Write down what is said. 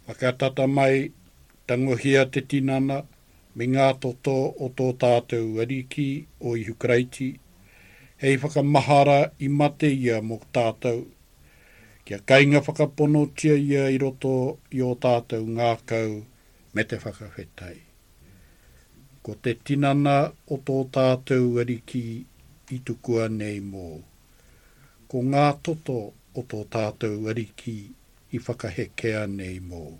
Whakatata mai, tangohia te tinana me ngā toto o tō tātou Ariki o Ihu Karaiti, hei whakamahara i mate ia mō tātou, kia kainga whakaponotia ia i roto i ō tātou ngākau me te whakawhetai. Ko te tinana o tō tātou Ariki i tukua nei mōu. Ko ngā toto o tō tātou Ariki i whakahekea nei mōu.